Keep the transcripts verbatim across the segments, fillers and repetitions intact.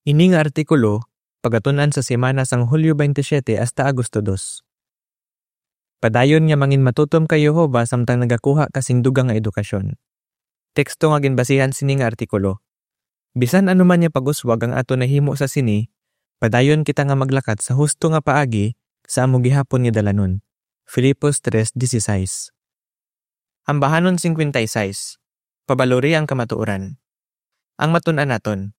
Ini nga artikulo pagatun-an sa semana sang Hulyo twenty-seven hasta Agosto dos. Padayon nga mangin matutom kay Jehovah samtang nagakuha ka sing dugang nga edukasyon. Teksto nga ginbasihan sini nga artikulo. Bisan ano man nga pag-uswag ang ato nahimo sa sini, padayon kita nga maglakat sa husto nga paagi sa amo gihapon nga dalanon. Filipos tres dieciséis. Ambahanon cincuenta y seis. Pabalori ang kamatuoran. Ang matun-an naton.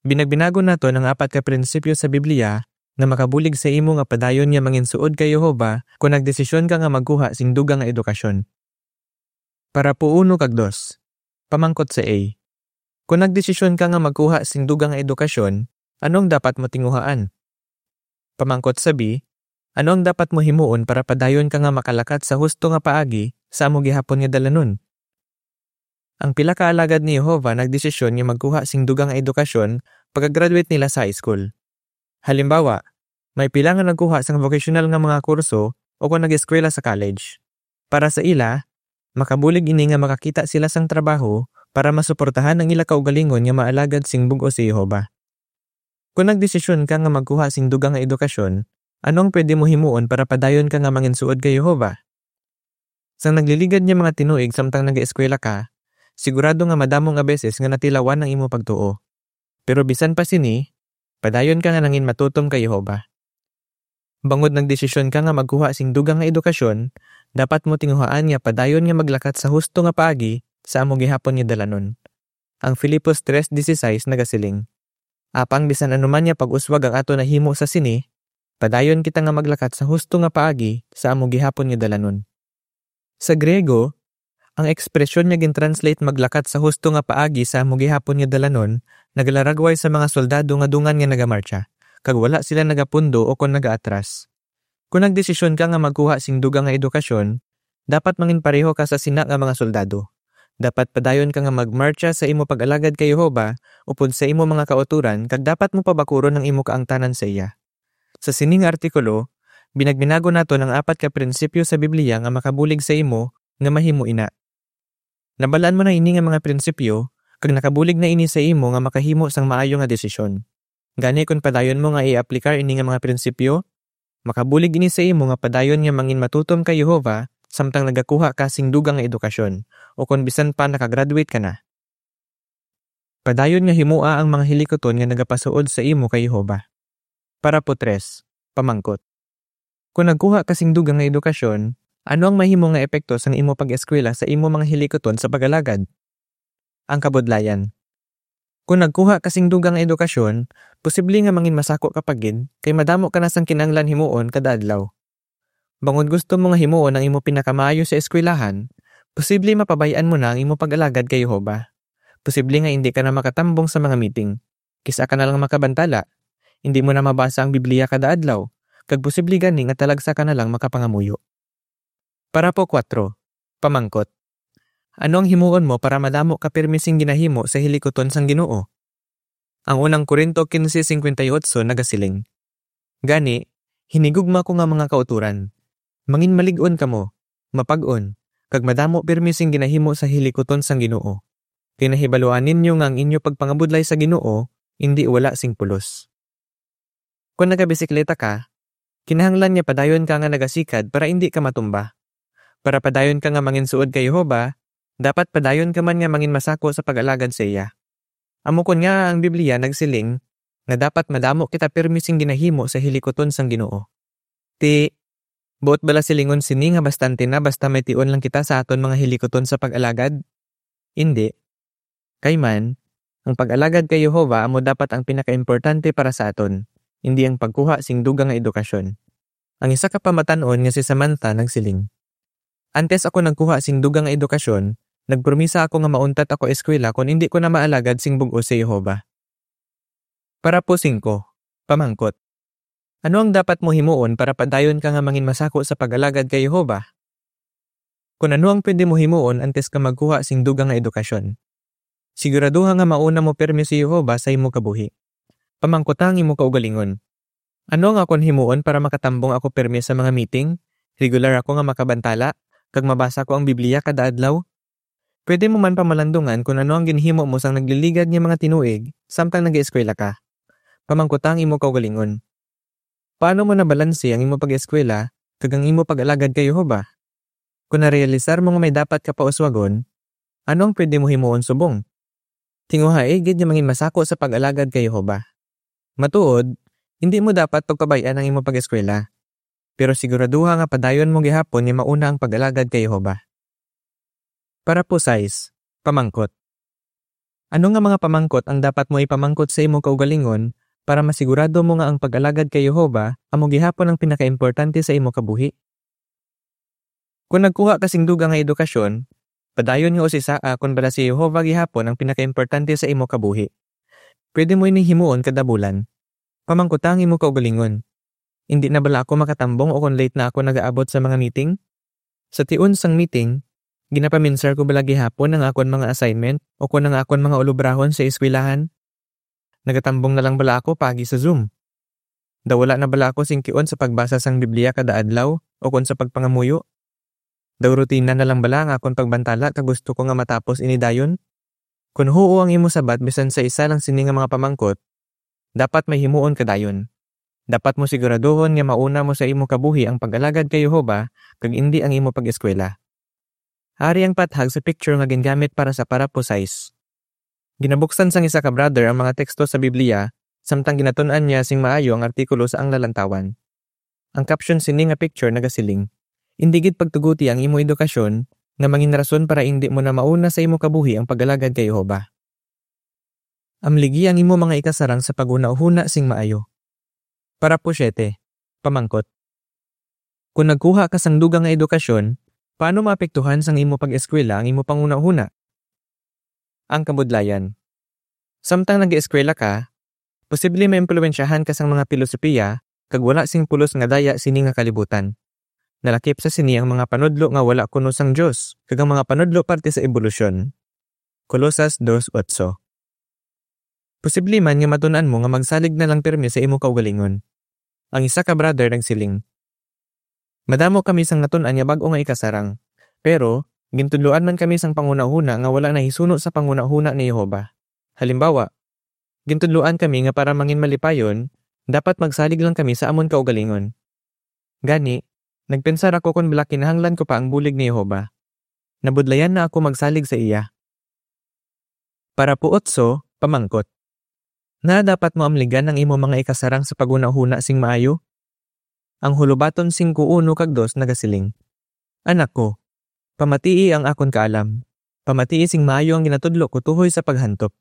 Binagbinagon naton ang apat ka prinsipyo sa Biblia nga makabulig sa imo nga padayon nga manginsuod kay Jehovah kon nagdesisyon ka nga magkuha sing dugang nga edukasyon. Parapo uno kag dos. Pamangkot sa A. Kon nagdesisyon ka nga magkuha sing dugang nga edukasyon, ano ang dapat mo tinguhaan? Pamangkot sa B, ano ang dapat mo himuon para padayon ka nga makalakat sa husto nga paagi sa amo gihapon nga dalanon? Ang pila ka alagad ni Jehovah nagdesisyon nga magkuha sing dugang nga edukasyon pagka-graduate nila sa high school. Halimbawa, may pila nga nagkuha sang vocational nga mga kurso o kon nag-eskwela sa college. Para sa ila, makabulig ini nga makakita sila sang trabaho para masuportahan ang ila kaugalingon nga maalagad sing bug-os si Jehovah. Kon nagdesisyon ka nga magkuha sing dugang nga edukasyon, ano ang pwede mo himuon para padayon ka nga manginsuod kay Jehovah? Sang nagliligad nga mga tinuig samtang nag-eskwela ka, sigurado nga madamo nga beses nga natilawan ang imo pagtuo. Pero bisan pa sini, padayon ka nga nangin matutom kay Jehovah. Bangod nagdesisyon ka nga magkuha sing dugang nga edukasyon, dapat mo tinguhaan nga padayon nga maglakat sa husto nga paagi sa amo gihapon nga dalanon. Ang Filipos tres dieciséis nagasiling, "Apang bisan ano man nga pag-uswag ang ato nahimo sa sini, padayon kita nga maglakat sa husto nga paagi sa amo gihapon nga dalanon." Sa Griego, ang ekspresyon nga gin-translate "maglakat sa husto nga paagi sa amo gihapon nga dalanon" naglaragway sa mga soldado nga dungan nga nagamartsa, kag wala sila nagapundo o kon nagaatras. Kon nagdesisyon ka nga magkuha sing dugang nga edukasyon, dapat manginpareho ka sa sina nga mga soldado. Dapat padayon ka nga magmartsa sa imo pag-alagad kay Jehovah upod sa imo mga kautoran, kag dapat mo pabakuron ang imo kaangtanan sa iya. Sa sining artikulo, binagbinagon naton ang apat ka prinsipyo sa Biblia nga makabulig sa imo nga mahimo ina. Nabalaan mo na ini nga mga prinsipyo, kag nakabulig na ini sa imo nga makahimo sang maayo nga desisyon. Gani, kon padayon mo nga i-aplikar ini nga mga prinsipyo, makabulig ini sa imo nga padayon nga mangin matutom kay Jehovah samtang nagakuha ka sing dugang nga edukasyon, o kon bisan pa nakagraduate ka na. Padayon nga himoa ang mga hilikuton nga nagapasuod sa imo kay Jehovah. Parapo tres, pamangkot. Kon nagkuha ka sing dugang nga edukasyon, ano ang mahimo nga epekto sang imo pag-eskwela sa imo mga hilikuton sa pag-alagad? Ang kabudlayan. Kon nagkuha ka sing dugang nga edukasyon, posible nga mangin masako ka pa gid, kay madamo ka na sang kinahanglan himuon kada adlaw. Bangod gusto mo nga himuon ang imo pinakamaayo sa eskwelahan, posible mapabay-an mo na ang imo pag-alagad kay Jehovah. Posible nga indi ka na makatambong sa mga meeting. Kis-a ka na lang makabantala. Indi mo na mabasa ang Biblia kada adlaw, kag posible gani nga talagsa ka na lang makapangamuyo. Parapo kuwatro, pamangkot. Ano ang himuon mo para madamo ka pirme sing ginahimo sa hilikuton sang Ginoo? Ang unang Corinto quince cincuenta y ocho nagasiling, "Gani, hinigugma ko nga mga kautoran, mangin malig-on kamo, mapag-on, kag madamo pirme sing ginahimo sa hilikuton sang Ginoo. Kay nahibaluan ninyo nga ang inyo pagpangabudlay sa Ginoo indi wala sing pulos." Kon nagabisikleta ka, kinahanglan nga padayon ka nga nagasikad para indi ka matumba. Para padayon ka nga manginsuod kay Jehovah, dapat padayon ka man nga manginmasako sa pag-alagad sa iya. Amo kon ngaa ang Biblia nagsiling nga dapat madamo kita pirme sing ginahimo sa hilikuton sang Ginoo. Ti, buot bala silingon sini nga bastante na basta may tion lang kita sa aton mga hilikuton sa pag-alagad? Indi. Kay man, ang pag-alagad kay Jehovah amo dapat ang pinakaimportante para sa aton, indi ang pagkuha sing dugang nga edukasyon. Ang isa ka pamatan-on nga si Samantha nagsiling, "Antes ako nagkuha sing dugang nga edukasyon, nagpromisa ako nga mauntat ako eskwela kon indi ko na maalagad sing bug-os si Jehovah." Parapo singko, pamangkot. Ano ang dapat mo himuon para padayon ka nga manginmasako sa pag-alagad kay Jehovah? Kon ano ang pwede mo himuon antes ka magkuha sing dugang nga edukasyon? Siguraduha nga mauna mo pirme si Jehovah sa imo kabuhi. Pamangkuta ang imo kaugalingon, "Ano ang akon himuon para makatambong ako pirme sa mga meeting, regular ako nga makabantala, kag mabasa ko ang Biblia kada adlaw?" Pwede mo man pamalandungan kon ano ang ginhimo mo sang nagliligad nga mga tinuig samtang nag-eskwela ka. Pamangkuta ang imo kaugalingon. Paano mo nabalanse ang imo pag-eskwela kag ang imo pag-alagad kay Jehovah? Kon narealisar mo nga may dapat ka pauswagon, ano ang pwede mo himuon subong? Tinguhai gid nga mangin masako sa pag-alagad kay Jehovah. Matuod, hindi mo dapat pagpabay-an ang imo pag-eskwela. Pero siguraduha nga padayon mo gihapon nga mauna ang pag-alagad kay Jehovah. Parapo sais, pamangkot. Ano nga mga pamangkot ang dapat mo ipamangkot sa imo kaugalingon para masigurado mo nga ang pag-alagad kay Jehovah amo gihapon ang pinakaimportante sa imo kabuhi? Kon nagkuha ka sing dugang nga edukasyon, padayon nga usisaa kon bala si Jehovah gihapon ang pinakaimportante sa imo kabuhi. Pwede mo ini himuon kada bulan. Pamangkuta ang imo kaugalingon. Indi na bala ako makatambong o kon late na ako nagaabot sa mga meeting? Sa tion sang meeting, ginapaminsar ko bala gihapon ang akon mga assignment o kon ang akon mga ulobrahon sa eskwelahan? Nagatambong na lang bala ako paagi sa Zoom? Daw wala na bala ako singkion sa pagbasa sang Biblia kada adlaw o kon sa pagpangamuyo? Daw rutina na lang bala ang akon pagbantala kag gusto ko nga matapos ini dayon? Kon huo ang imo sabat bisan sa isa lang sini nga mga pamangkot, dapat may himuon ka dayon. Dapat mo siguraduhon nga mauna mo sa imo kabuhi ang pag-alagad kay Jehovah kag indi ang imo pag-eskwela. Ari ang pathag sa picture nga gingamit para sa parapo sais. Ginabuksan sang isa ka brother ang mga teksto sa Biblia samtang ginatun-an niya sing maayo ang artikulo sa Ang Lalantawan. Ang caption sini nga picture nagasiling, "Indi gid pagtuguti ang imo edukasyon nga mangin rason para indi mo na mauna sa imo kabuhi ang pag-alagad kay Jehovah." Amligi ang imo mga ikasarang sa paghunahuna sing maayo. Parapo siete, pamangkot. Kon nagkuha ka sang dugang nga edukasyon, paano maapektuhan sang imo pag-eskwela ang imo panghunahuna? Ang kabudlayan. Samtang nag-eskwela ka, posible maimpluwensyahan ka sang mga pilosopiya kag wala sing pulos nga daya sini nga kalibutan. Nalakip sa sini ang mga panudlo nga wala kuno sang Dios kag ang mga panudlo parte sa ebolusyon. Colosas dos otso. Posible man nga matun-an mo nga magsalig na lang pirme sa imo kaugalingon. Ang isa ka brother nagsiling, "Madamo kami sang natun-an nga bag-o nga ikasarang, pero gintudloan man kami sang panghunahuna nga wala nahisuno sa panghunahuna ni Jehovah. Halimbawa, gintudloan kami nga para mangin malipayon, dapat magsalig lang kami sa amon kaugalingon. Gani, nagpensar ako kon bala kinahanglan ko pa ang bulig ni Jehovah. Nabudlayan na ako magsalig sa iya." Parapo otso, pamangkot. Ngaa dapat mo amligan ang imo mga ikasarang sa paghunahuna sing maayo? Ang Hulobaton singko uno kag dos nagasiling, "Anak ko, pamatii ang akon kaalam. Pamatii sing maayo ang ginatudlo ko tuhoy sa paghantop.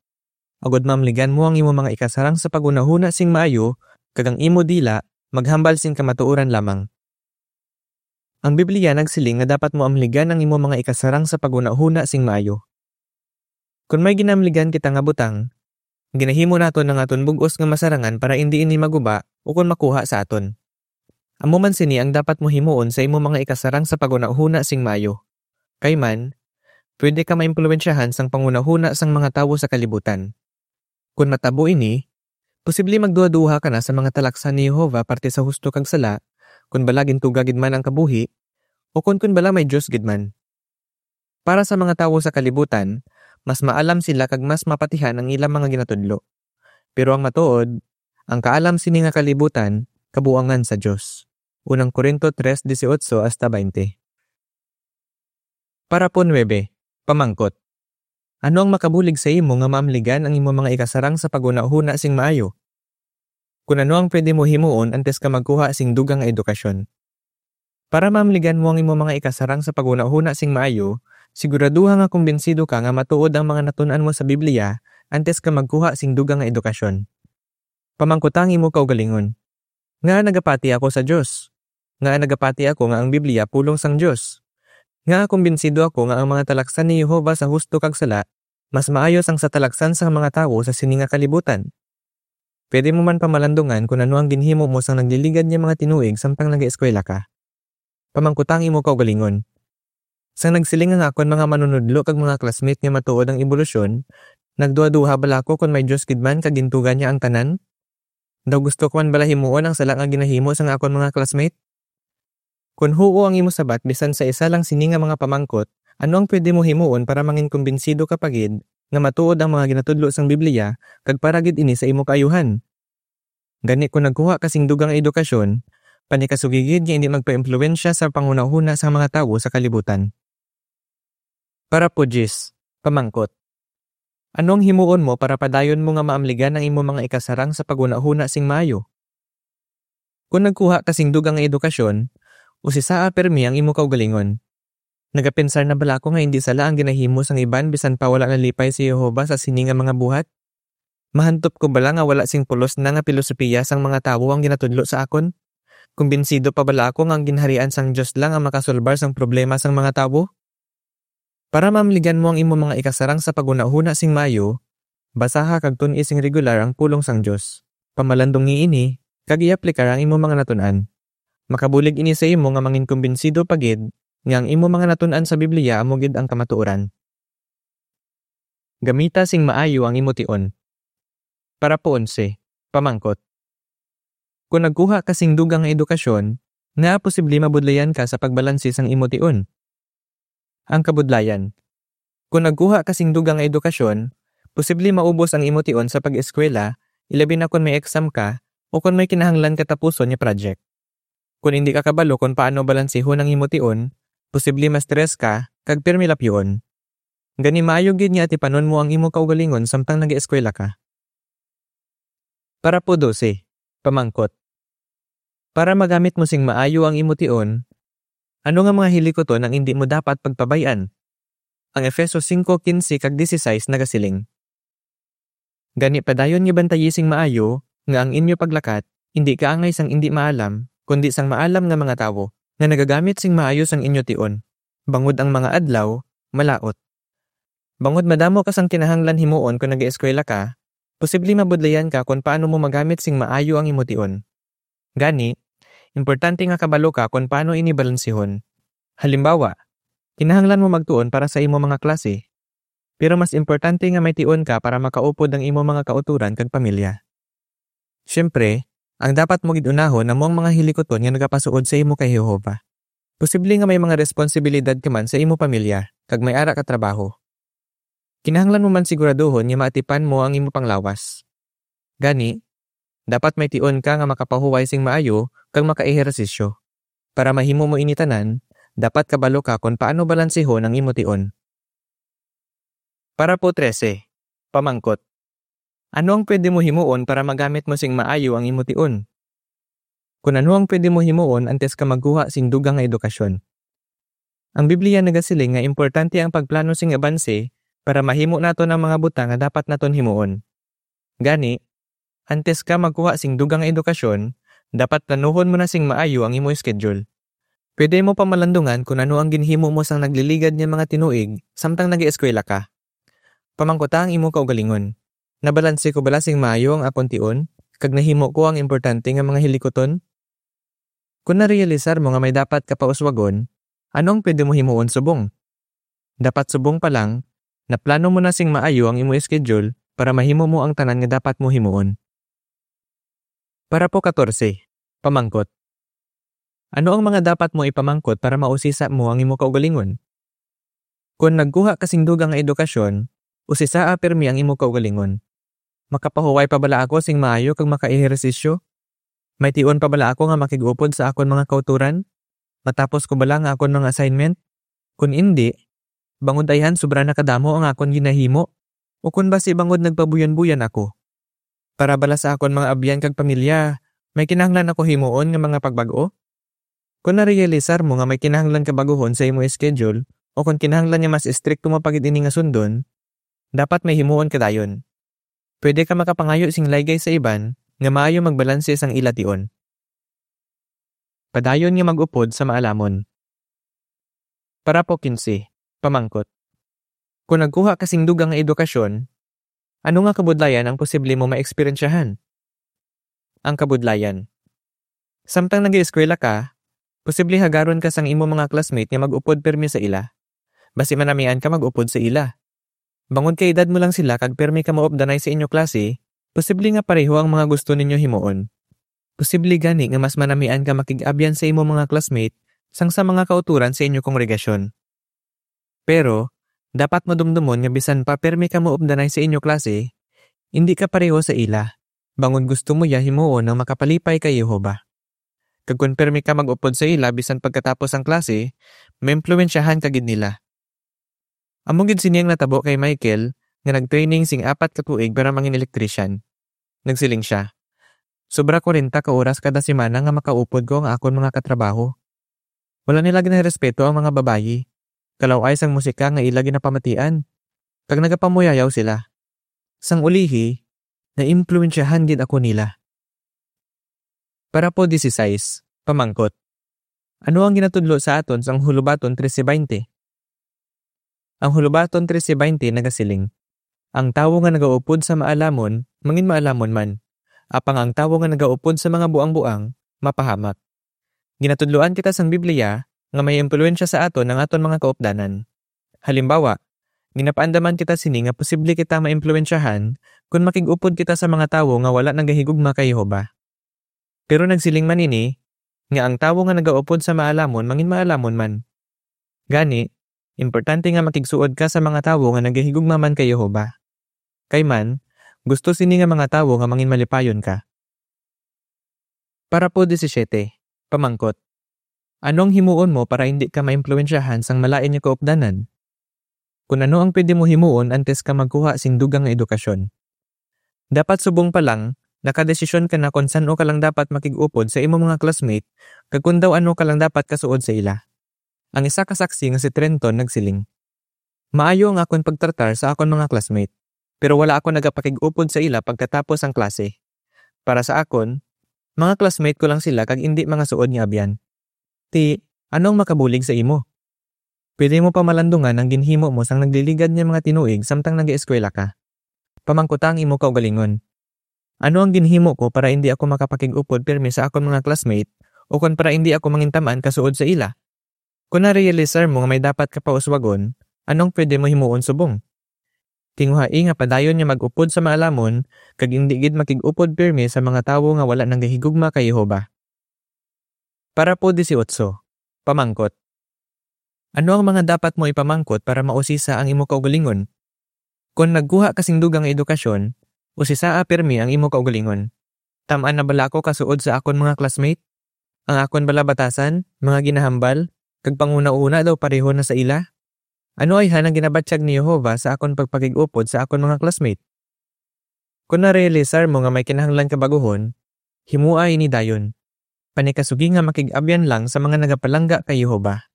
Agod maamligan mo ang imo mga ikasarang sa paghunahuna sing maayo, kag ang imo dila maghambal sing kamatuoran lamang." Ang Biblia nagsiling nga dapat mo amligan ang imo mga ikasarang sa paghunahuna sing maayo. Kon may ginaamligan kita nga butang, ginahimo naton ang aton bug-os nga masarangan para indi ini maguba ukon makuha sa aton. Amo man sini ang dapat mo himuon sa imo mga ikasarang sa paghunahuna sing maayo. Kay man, pwede ka maimpluwensyahan sang panghunahuna sang mga tawo sa kalibutan. Kon matabo ini, posible magduhaduha ka na sa mga talaksan ni Jehovah parte sa husto kag sala, kon bala gintuga gid man ang kabuhi, o kon, kon bala may Dios gid man. Para sa mga tawo sa kalibutan, mas maalam sila kag mas mapatihan ang ilang mga ginatudlo. Pero ang matuod, ang kaalam sini nga kalibutan kabuangan sa Dios. Unang Corinto tres dieciocho hasta veinte. Parapo nuebe, pamangkot. Ano ang makabulig sa imo nga maamligan ang imo mga ikasarang sa paghunahuna sing maayo? Kon ano ang pwede mo himuon antes ka magkuha sing dugang nga edukasyon? Para maamligan mo ang imo mga ikasarang sa paghunahuna sing maayo, siguraduha nga kumbinsido ka nga matuod ang mga natun-an mo sa Biblia antes ka magkuha sing dugang nga edukasyon. Pamangkuta ang imo kaugalingon, "Ngaa nagapati ako sa Dios? Ngaa nagapati ako nga ang Biblia pulong sang Dios? Ngaa kumbinsido ako nga ang mga talaksan ni Jehovah sa husto kag sala mas maayo sang sa talaksan sang mga tawo sa sini nga kalibutan?" Pwede mo man pamalandungan kon ano ang ginhimo mo sang nagliligad nga mga tinuig samtang nag-eskwela ka. Pamangkuta ang imo kaugalingon, "Sang nagsiling ang akon mga manunudlo kag mga classmate nga matuod ang ebolusyon, nagduhaduha bala ako kon may Dios gid man kag gintuga niya ang tanan? Daw gusto ko man bala himuon ang sala nga ginahimo sang akon mga classmate?" Kon huo ang imo sabat bisan sa isa lang sini nga mga pamangkot, ano ang pwede mo himuon para mangin kumbinsido ka pa gid nga matuod ang mga ginatudlo sang Biblia kag para gid ini sa imo kaayuhan? Gani, kon nagkuha ka sing dugang nga edukasyon, panikasugi gid nga indi magpaimpluwensya sa panghunahuna sang mga tawo sa kalibutan. Parapo diyes, pamangkot. Ano ang himuon mo para padayon mo nga maamligan ang imo mga ikasarang sa paghunahuna sing maayo? Kon nagkuha ka sing dugang nga edukasyon, usisaa pirmi ang imo kaugalingon. Nagapensar na bala ako nga indi sala ang ginahimo sang iban bisan pa wala nalipay si Jehovah sa sini nga mga buhat? Mahantop ko bala nga wala sing pulos na nga pilosopiya sang mga tawo ang ginatudlo sa akon? Kumbinsido pa bala ako nga ang Ginharian sang Dios lang ang makasolbar sang problema sang mga tawo? Para maamligan mo ang imo mga ikasarang sa paghunahuna sing maayo, basaha kag tun-i sing regular ang pulong sang Dios. Pamalandungi ini, kag i-aplikar ang imo mga natun-an. Makabulig ini sa imo nga manginkumbinsido pa gid nga ang imo mga natun-an sa Biblia amo gid ang kamatuoran. Gamita sing maayo ang imo tion. Parapo onse, pamangkot. Kon nagkuha ka sing dugang nga edukasyon, ngaa posible mabudlayan ka sa pagbalanse sang imo tion? Ang kabudlayan. Kon nagkuha ka sing dugang nga edukasyon, posible maubos ang imo tion sa pag-eskwela, ilabi na kon may exam ka o kon may kinahanglan ka tapuson nga project. Kon indi ka kabalo kon paano balansihon ang imo tion, posible ma-stress ka kag pirmi lapyoon. Gani, maayo gid nga atipanon mo ang imo kaugalingon samtang nag-eskwela ka. Parapo dose, pamangkot. Para magamit mo sing maayo ang imo tion, ano nga mga hilikuton ang indi mo dapat pagpabay-an? Ang Efeso singko kinse kag disisais nagasiling, "Gani, padayon nga bantayi sing maayo nga ang inyo paglakat indi kaangay sang indi maalam, kundi sang maalam nga mga tawo, nga nagagamit sing maayo sang inyo tion, bangod ang mga adlaw malaut." Bangod madamo ka sang kinahanglan himuon kon nag-eskwela ka, posible mabudlayan ka kon paano mo magamit sing maayo ang imo tion. Gani, importante nga kabalo ka kon paano ini balansihon. Halimbawa, kinahanglan mo magtuon para sa imo mga klase, pero mas importante nga may tion ka para makaupod ang imo mga kautoran kag pamilya. Siyempre, ang dapat mo gid unahon amo ang mga hilikuton nga nagapasuod sa imo kay Jehovah. Posible nga may mga responsibilidad ka man sa imo pamilya kag may ara ka trabaho. Kinahanglan mo man siguraduhon nga maatipan mo ang imo panglawas. Gani, dapat may tion ka nga makapahuway sing maayo kag makaehersisyo. Para mahimo mo ini tanan, dapat kabalo ka kon paano balansihon ang imo tion. Parapo trese, pamangkot. Ano ang pwede mo himuon para magamit mo sing maayo ang imo tion? Kon ano ang pwede mo himuon antes ka magkuha sing dugang nga edukasyon? Ang Biblia nagasiling nga importante ang pagplano sing abanse para mahimo naton ang mga butang nga dapat naton himuon. Gani, antes ka magkuha sing dugang nga edukasyon, dapat planuhon mo na sing maayo ang imo schedule. Pwede mo pamalandungan kon ano ang ginhimo mo sang nagliligad nga mga tinuig samtang nag-eskwela ka. Pamangkuta ang imo kaugalingon, "Nabalanse ko bala sing maayo ang akon tion, kag nahimo ko ang importante nga mga hilikuton?" Kon narealisar mo nga may dapat ka pa uswagon, ano ang pwede mo himuon subong? Dapat subong pa lang, naplano mo na sing maayo ang imo schedule para mahimo mo ang tanan nga dapat mo himuon. Parapo katorse, pamangkot. Ano ang mga dapat mo ipamangkot para mausisa mo ang imo kaugalingon? Kon nagkuha ka sing dugang nga edukasyon, usisaa pirmi ang imo kaugalingon. Makapahuway pa bala ako sing maayo kag makaehersisyo? May tion pa bala ako nga makig-upod sa akon mga kautoran? Matapos ko bala nga akon mga assignment? Kon indi, bangod ayhan sobra na kadamo ang akon ginahimo, ukon basi bangod nagpabuyon-buyon ako? Para bala sa akon mga abyan kag pamilya, may kinahanglan ako himuon nga mga pagbag-o? Kon narealisar mo nga may kinahanglan ka baguhon sa imo schedule, o kon kinahanglan nga mas estrikto mo pa gid ini nga sundon, dapat may himuon ka dayon. Pwede ka makapangayo sing laygay sa iban nga maayo magbalanse sang ila tion. Padayon nga mag-upod sa maalamon. Parapo kinse, pamangkot. Kon nagkuha ka sing dugang nga edukasyon, ano nga kabudlayan ang posible mo maeksperiensyahan? Ang kabudlayan. Samtang nag-eskwela ka, posible hagaron ka sang imo mga classmate nga mag-upod pirmi sa ila. Basi manamian ka mag-upod sa ila. Bangod kay edad mo lang sila kag pirmi ka maupdanay sa inyo klase, posible nga pareho ang mga gusto ninyo himuon. Posible gani nga mas manamian ka makig-abyan sa imo mga classmate sang sa mga kautoran sa inyo kongregasyon. Pero, dapat mo dumdomon nga bisan pa pirmi ka maupdanay sa inyo klase, indi ka pareho sa ila. bangod gusto mo iya himuon ang makapalipay kay Jehovah. Kag kon pirme ka mag-upod sa ila bisan pagkatapos ang klase, maimpluwensyahan ka gid nila. Amo gid sini ang natabo kay Michael, nga nag-training sing apat ka tuig para mangin electrician. Nagsiling sia, "Sobra kwarenta ka oras kada semana nga makaupod ko ang akon mga katrabaho. Wala nila ginarespeto ang mga babayi. Kalaw-ay sang musika nga ila ginapamatian, kag nagapamuyayaw sila. Sang ulihi, naimpluwensyahan gid ako nila." Parapo dieciséis, pamangkot. Ano ang ginatudlo sa aton sang Hulubaton trese baynte? Ang Hulubaton trese baynte nagasiling, "Ang tawo nga nagaupod sa maalamon, mangin maalamon man. Apang ang tawo nga nagaupod sa mga buang-buang, mapahamak." Ginatudloan kita sang Biblia nga may impluwensya sa aton ang aton mga kaupdanan. Halimbawa, ginapaandaman kita sini nga posible kita maimpluwensyahan kon makig-upod kita sa mga tawo nga wala nagahigugma kay Jehovah. Pero nagsiling man ini nga ang tawo nga nagaupod sa maalamon mangin maalamon man. Gani, importante nga makigsuod ka sa mga tawo nga nagahigugma man kay Jehovah. Kay man, gusto sini nga mga tawo nga mangin malipayon ka. Parapo diecisiete, pamangkot. Ano ang himuon mo para indi ka maimpluwensyahan sang malain nga kaupdanan? Kun ano ang pwede mo himuon antes ka magkuha sing dugang nga edukasyon? Dapat subong pa lang, nakadesisyon ka na kon san-o ka lang dapat makig-upod sa imo mga classmate kag kon daw ano ka lang dapat kasuod sa ila. Ang isa ka saksi nga si Trenton nagsiling, "Maayo ang akon pagtratar sa akon mga classmate, pero wala ako nagapakig-upod sa ila pagkatapos ang klase. Para sa akon, mga classmate ko lang sila kag indi mga suod nga abyan. Ti, ano ang makabulig sa imo? Pwede mo pa malandungan ang ginhimo mo sang nagliligad nga mga tinuig samtang nag-eskwela ka. Pamangkuta ang imo kaugalingon, 'Ano ang ginhimo ko para indi ako makapakig-upod pirme sa akon mga classmate, o kon para indi ako mangintam-an kasuod sa ila?' Kon narealisar mo nga may dapat ka pa uswagon, ano ang pwede mo himuon subong? Tinguhai nga padayon nga mag-upod sa maalamon kag indi gid makig-upod pirme sa mga tawo nga wala nanggahigugma kay Jehovah. Parapo dieciocho, pamangkot. Ano ang mga dapat mo ipamangkot para mausisa ang imo kaugalingon? Kon nagkuha ka sing dugang nga edukasyon, usisaa pirme ang imo kaugalingon. Tam-an na bala ako kasuod sa akon mga classmate? Ang akon bala batasan, mga ginahambal, kag panghunahuna daw pareho na sa ila? Ano ayhan ang ginabatyag ni Jehovah sa akon pagpakig-upod sa akon mga classmate? Kon narealisar mo nga may kinahanglan ka bag-uhon, himoa ini dayon. Panikasugi nga makig-abyan lang sa mga nagapalangga kay Jehovah.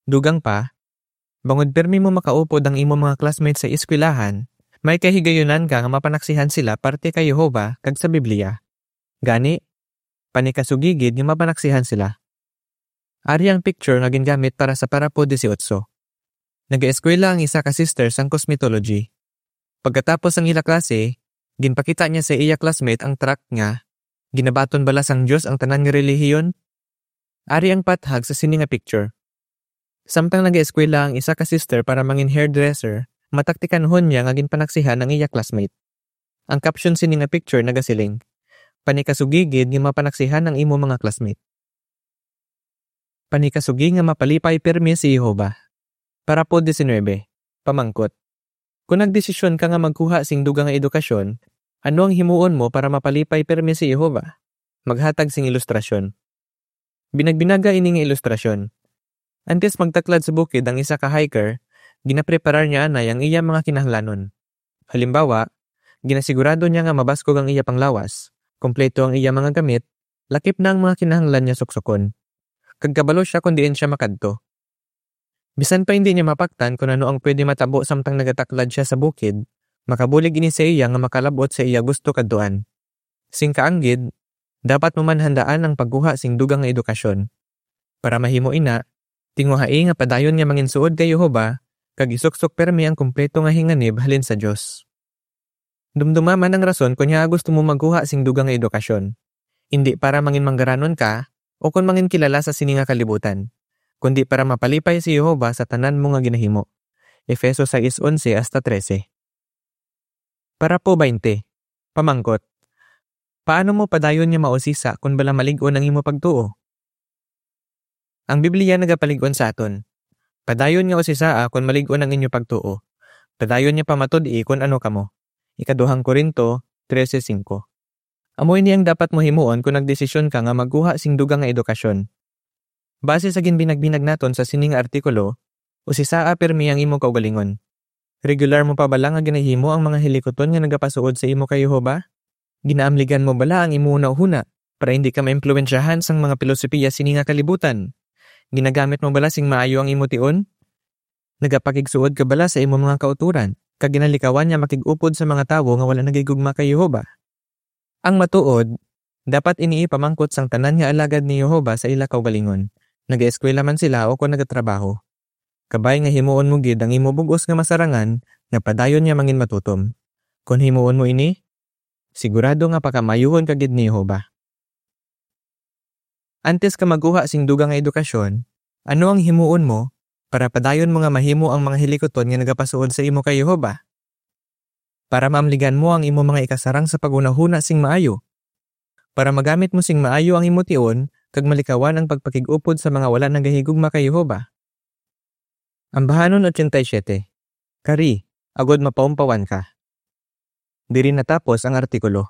Dugang pa, bangod pirme mo makaupod ang imo mga classmates sa eskwelahan, may kahigayunan ka nga mapanaksihan sila parte kay Jehovah kag sa Biblia. Gani, panikasugi gid nga mapanaksihan sila. Ari ang picture nga gingamit para sa parapo dieciocho. Nagaeskwela ang isa ka sister sang cosmetology. Pagkatapos sang ila klase, ginpakita niya sa iya classmate ang tract nga, "Ginabaton bala sang Dios ang tanan nga relihiyon?" Ari ang pathag sa sini nga picture. Samtang nagaeskwela ang isa ka sister para mangin hairdresser, mataktikanhon niya nga ginpanaksihan ang iya classmate. Ang caption sini nga picture nagasiling, "Panikasugi gid nga mapanaksihan ang imo mga classmate." Panikasugi nga mapalipay pirme si Jehovah. Parapo diecinuebe, pamangkot. Kon nagdesisyon ka nga magkuha sing dugang nga edukasyon, ano ang himuon mo para mapalipay pirme si Jehovah? Maghatag sing ilustrasyon. Binagbinaga ini nga ilustrasyon. Antes magtaklad sa bukid ang isa ka hiker, ginapreparar niya anay ang iya mga kinahanglanon. Halimbawa, ginasigurado niya nga mabaskog ang iya panglawas, kompleto ang iya mga gamit, lakip na ang mga kinahanglan niya suksukon, kag kabalo sia kon diin sia makadto. Bisan pa hindi niya mapaktan kon ano ang pwede matabo samtang nagataklad sia sa bukid, makabulig ini sa iya nga makalab-ot sa iya gusto kadtuan. Sing kaanggid, dapat mo man handaan ang pagkuha sing dugang nga edukasyon. Para mahimo ina, tinguhai nga padayon nga manginsuod kay Jehovah kag isuksok pirme ang kompleto nga hinganib halin sa Dios. Dumduma man ang rason kon ngaa gusto mo magkuha sing dugang nga edukasyon. Indi para mangin manggaranon ka o kon mangin kilala sa sini nga kalibutan, kundi para mapalipay si Jehovah sa tanan mo nga ginahimo. Efeso sais onse hasta trese. Parapo baynte, pamangkot. Paano mo padayon nga mausisa kon bala malig-on ang imo pagtuo? Ang Biblia nagapalig-on sa aton, "Padayon nga usisaa kon malig-on ang inyo pagtuo. Padayon nga pamatud-i kon ano kamo." Ikaduhang Corinto trese singko. Amo ini ang dapat mo himuon kon nagdesisyon ka nga magkuha sing dugang nga edukasyon. Base sa ginbinagbinag naton sa sini nga artikulo, usisaa pirmi ang imo kaugalingon. Regular mo pa bala nga ginahimo ang mga hilikuton nga nagapasuod sa imo kay Jehovah? Ginaamligan mo bala ang imo hunahuna para hindi ka maimpluwensyahan sang mga pilosopiya sini nga kalibutan? Ginagamit mo bala sing maayo ang imo tion? Nagapakigsuod ka bala sa imo mga kautoran, kag ginalikawan nga makig-upod sa mga tawo nga wala nagahigugma kay Jehovah? Ang matuod, dapat ini ipamangkot sang tanan nga alagad ni Jehovah sa ila kaugalingon, nagaeskwela man sila o kon nagatrabaho. Kabay nga himuon mo gid ang imo bug-os nga masarangan nga padayon nga manginmatutom. Kon himuon mo ini, sigurado nga pakamaayuhon ka gid ni Jehovah. Antes ka magkuha sing dugang nga edukasyon, ano ang himuon mo para padayon mo nga mahimo ang mga hilikuton nga nagapasuod sa imo kay Jehovah? Para maamligan mo ang imo mga ikasarang sa paghunahuna sing maayo, para magamit mo sing maayo ang imo tion kag malikawan ang pagpakig-upod sa mga wala nagahigugma kay Jehovah. Ambahanon eighty-seven. Kari, agod mapaumpawan ka. Diri natapos ang artikulo.